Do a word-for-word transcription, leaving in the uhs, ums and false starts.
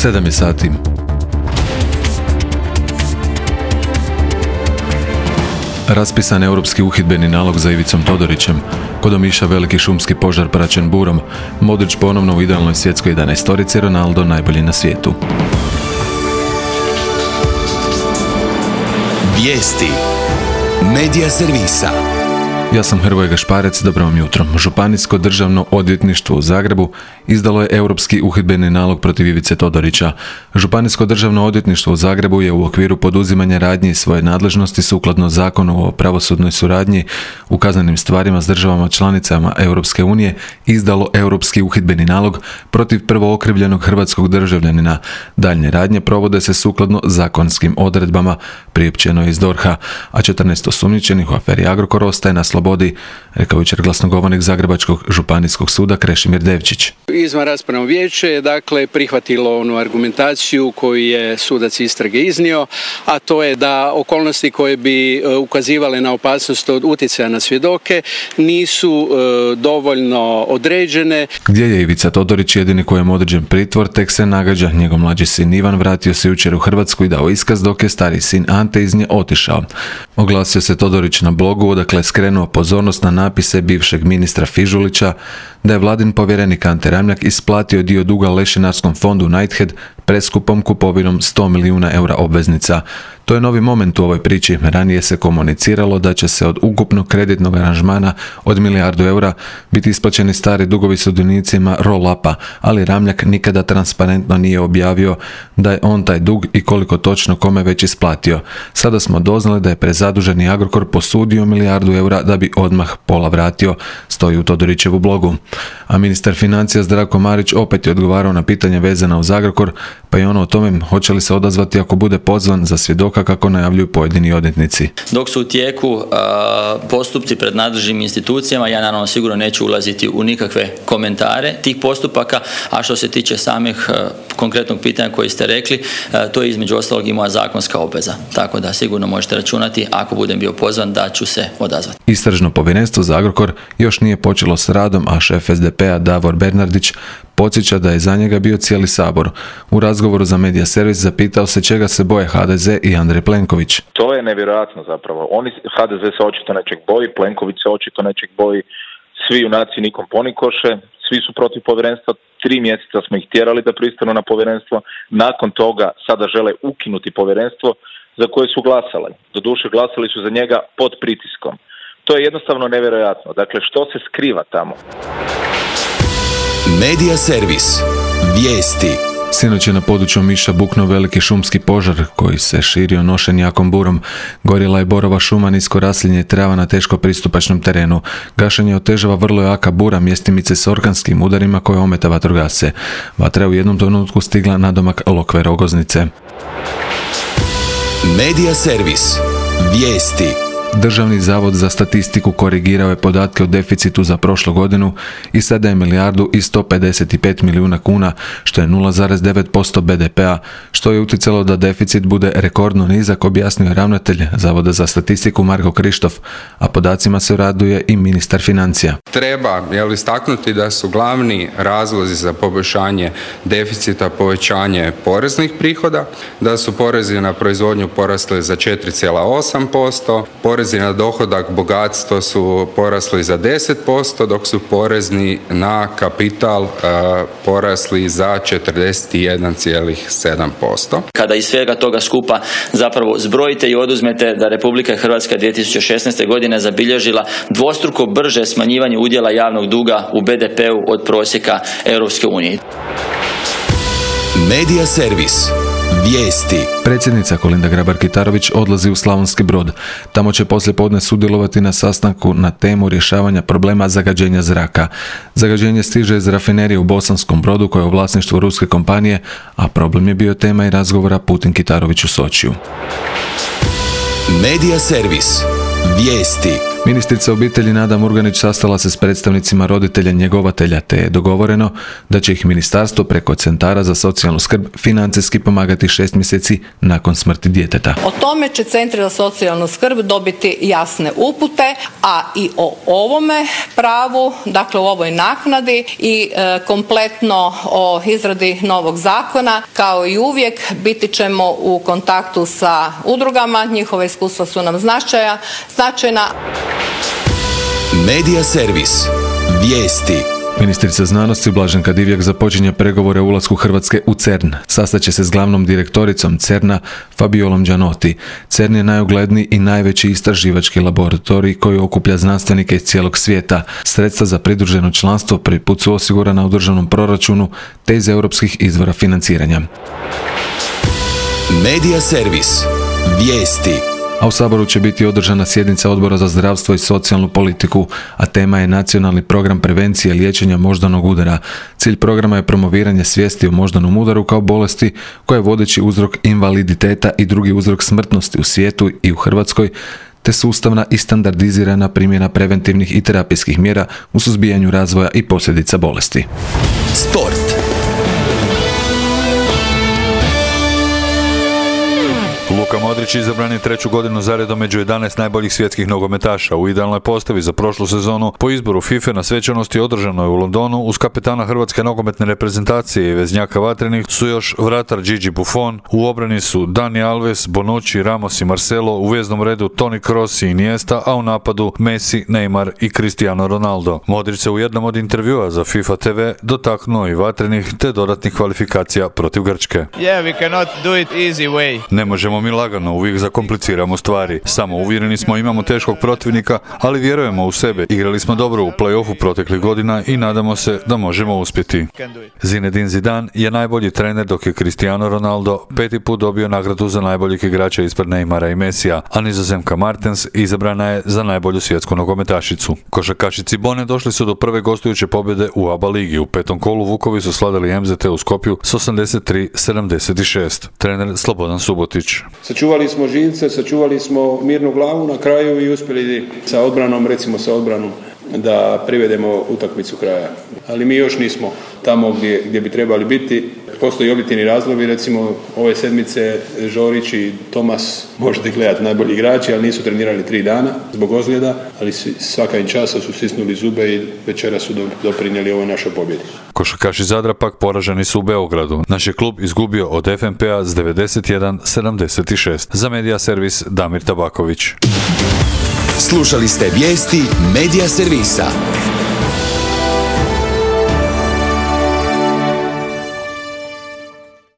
sedam je sati. Raspisan europski uhidbeni nalog za Ivicom Todorićem. Kod Omiša veliki šumski požar praćen burom. Modrić ponovno u idealnoj svjetskoj jedanaestorici, Ronaldo najbolji na svijetu. Vijesti Medija servisa. Ja sam Hrvoje Gašparec, dobro vam jutro. Županijsko državno odvjetništvo u Zagrebu izdalo je europski uhidbeni nalog protiv Ivice Todorića. Županijsko državno odvjetništvo u Zagrebu je u okviru poduzimanja radnji svoje nadležnosti sukladno zakonu o pravosudnoj suradnji u kaznenim stvarima s državama članicama Europske unije izdalo europski uhidbeni nalog protiv prvookrivljenog hrvatskog državljanina. Daljnje radnje provode se sukladno zakonskim odredbama, priopćeno je iz DORH-a, a četrnaest osumnjičenih u aferi Agrokor ostaje na slobodi, rekao jučer glasnogovornik Zagrebačkog županijskog suda Krešimir Devčić. Izvanraspravno vijeće je dakle prihvatilo onu argumentaciju koju je sudac istrage iznio, a to je da okolnosti koje bi ukazivale na opasnost od utjecaja na svjedoke nisu e, dovoljno određene. Gdje je Ivica Todorić jedini kojem određen pritvor, tek se nagađa. Njegov mlađi sin Ivan vratio se jučer u Hrvatsku i dao iskaz, dok je stariji sin Ante iz nje otišao. Oglasio se Todorić na blogu, odakle je skrenuo pozornost na napise bivšeg ministra Fižulića da je vladin povjerenik Ante Ramljak isplatio dio duga lešinarskom fondu Knighthead preskupom kupovinom sto milijuna eura obveznica. To je novi moment u ovoj priči. Ranije se komuniciralo da će se od ukupnog kreditnog aranžmana od milijardu eura biti isplaćeni stari dugovi sudionicima roll-upa, ali Ramljak nikada transparentno nije objavio da je on taj dug i koliko točno kome već isplatio. Sada smo doznali da je prezaduženi Agrokor posudio milijardu eura da bi odmah pola vratio, stoji u Todorićevu blogu. A ministar financija Zdravko Marić opet je odgovarao na pitanja vezana uz Agrokor, pa i ono o tome hoće li se odazvati ako bude pozvan za svjedoka kako najavljuju pojedini odvjetnici. Dok su u tijeku uh, postupci pred nadležnim institucijama, ja naravno sigurno neću ulaziti u nikakve komentare tih postupaka, a što se tiče samih uh, konkretnog pitanja koji ste rekli, uh, to je između ostalog i moja zakonska obveza. Tako da sigurno možete računati, ako budem bio pozvan, da ću se odazvati. Istražno povjerenstvo za Agrokor još nije počelo s radom, a šef es de pe a Davor Bernardić podsjeća da je za njega bio cijeli Sabor. U razgovoru za Medija servis zapitao se čega se boje ha de ze i Andrej Plenković. To je nevjerojatno zapravo. Oni, ha de ze se očito nečeg boji, Plenković se očito nečeg boji, svi junaci nikom ponikoše, svi su protiv povjerenstva, tri mjeseca smo ih tjerali da pristanu na povjerenstvo, nakon toga sada žele ukinuti povjerenstvo za koje su glasali. Doduše glasali su za njega pod pritiskom. To je jednostavno nevjerojatno. Dakle, što se skriva tamo? Medija servis. Vijesti. Sinoć je na području Omiša buknuo veliki šumski požar koji se širio nošen jakom burom. Gorjela je borova šuma, nisko raslinje trava na teško pristupačnom terenu. Gašenje otežava vrlo jaka bura, mjestimice s orkanskim udarima koje ometa vatrogasce. Vatra je u jednom trenutku stigla na domak Lokve Rogoznice. Medija servis. Vijesti. Državni zavod za statistiku korigirao je podatke o deficitu za prošlu godinu i sada je milijardu i sto pedeset pet milijuna kuna, što je nula zarez devet posto be de pe a, što je utjecalo da deficit bude rekordno nizak, objasnio je ravnatelj Zavoda za statistiku Marko Krištof, a podacima se raduje i ministar financija. Treba jel, istaknuti da su glavni razlozi za poboljšanje deficita povećanje poreznih prihoda, da su porezi na proizvodnju porasli za četiri zarez osam posto, porezi na dohodak, bogatstvo su porasli za deset posto, dok su porezni na kapital uh, porasli za četrdeset jedan zarez sedam posto. Kada iz svega toga skupa zapravo zbrojite i oduzmete da Republika Hrvatska dvije tisuće šesnaeste. godine zabilježila dvostruko brže smanjivanje udjela javnog duga u be de pe u od prosjeka Europske unije. Medija servis. Vijesti. Predsjednica Kolinda Grabar-Kitarović odlazi u Slavonski Brod. Tamo će poslijepodne sudjelovati na sastanku na temu rješavanja problema zagađenja zraka. Zagađenje stiže iz rafinerije u Bosanskom Brodu koja je u vlasništvu ruske kompanije, a problem je bio tema i razgovora Putin-Kitarović u Sočiju. Medija servis. Vijesti. Ministrica obitelji Nada Murganić sastala se s predstavnicima roditelja njegovatelja, te je dogovoreno da će ih ministarstvo preko centara za socijalnu skrb financijski pomagati šest mjeseci nakon smrti djeteta. O tome će centri za socijalnu skrb dobiti jasne upute, a i o ovome pravu, dakle u ovoj naknadi i e, kompletno o izradi novog zakona, kao i uvijek biti ćemo u kontaktu sa udrugama, njihova iskustva su nam značaja, značajna. Medija servis. Vijesti. Ministrica znanosti Blaženka Divjak započinje pregovore o ulasku Hrvatske u CERN. Sastaće se s glavnom direktoricom CERN-a Fabiolom Gianotti. CERN je najugledniji i najveći istraživački laboratorij koji okuplja znanstvenike iz cijelog svijeta. Sredstva za pridruženo članstvo prvi put su osigurana u državnom proračunu te iz europskih izvora financiranja. Medija servis. Vijesti. A u Saboru će biti održana sjednica Odbora za zdravstvo i socijalnu politiku, a tema je Nacionalni program prevencije liječenja moždanog udara. Cilj programa je promoviranje svijesti o moždanom udaru kao bolesti koja je vodeći uzrok invaliditeta i drugi uzrok smrtnosti u svijetu i u Hrvatskoj, te sustavna i standardizirana primjena preventivnih i terapijskih mjera u suzbijanju razvoja i posljedica bolesti. Sport. Luka Modrić izabran je treću godinu zaredom među jedanaest najboljih svjetskih nogometaša. U idealnoj postavi za prošlu sezonu po izboru FIFA na svečanosti održanoj u Londonu uz kapetana hrvatske nogometne reprezentacije i veznjaka vatrenih su još vratar Gigi Buffon, u obrani su Dani Alves, Bonucci, Ramos i Marcelo, u veznom redu Toni Kroos i Iniesta, a u napadu Messi, Neymar i Cristiano Ronaldo. Modrić se u jednom od intervjua za FIFA te ve dotaknuo i vatrenih te dodatnih kvalifikacija protiv Grčke. Yeah, we cannot do it easy way. Ne možemo mi lagano, uvijek zakompliciramo stvari. Samo uvjereni smo, imamo teškog protivnika, ali vjerujemo u sebe. Igrali smo dobro u play-offu proteklih godina i nadamo se da možemo uspjeti. Zinedine Zidane je najbolji trener, dok je Cristiano Ronaldo peti put dobio nagradu za najboljeg igrača ispred Neymara i Messija, a Nizozemka Martens izabrana je za najbolju svjetsku nogometašicu. Košarkaši Cibone došli su do prve gostujuće pobjede u A B A ligi. U petom kolu Vukovi su slavili em zet te u Skopju s osamdeset tri sedamdeset šest. Trener Slobodan Subotić. Sačuvali smo živce, sačuvali smo mirnu glavu na kraju i uspjeli sa odbranom, recimo sa odbranom, da privedemo utakmicu kraja. Ali mi još nismo tamo gdje, gdje bi trebali biti. Postoji objektivni razlogi, recimo ove sedmice Žorić i Tomas, možete gledati, najbolji igrači, ali nisu trenirali tri dana zbog ozljeda, ali svaka im časa su stisnuli zube i večera su doprinijeli ovoj našoj pobjedi. Košarkaši Zadra pak poraženi su u Beogradu. Naš je klub izgubio od ef em pe-a s devedeset jedan sedamdeset šest. Za Medija servis Damir Tabaković. Slušali ste vijesti Medija servisa.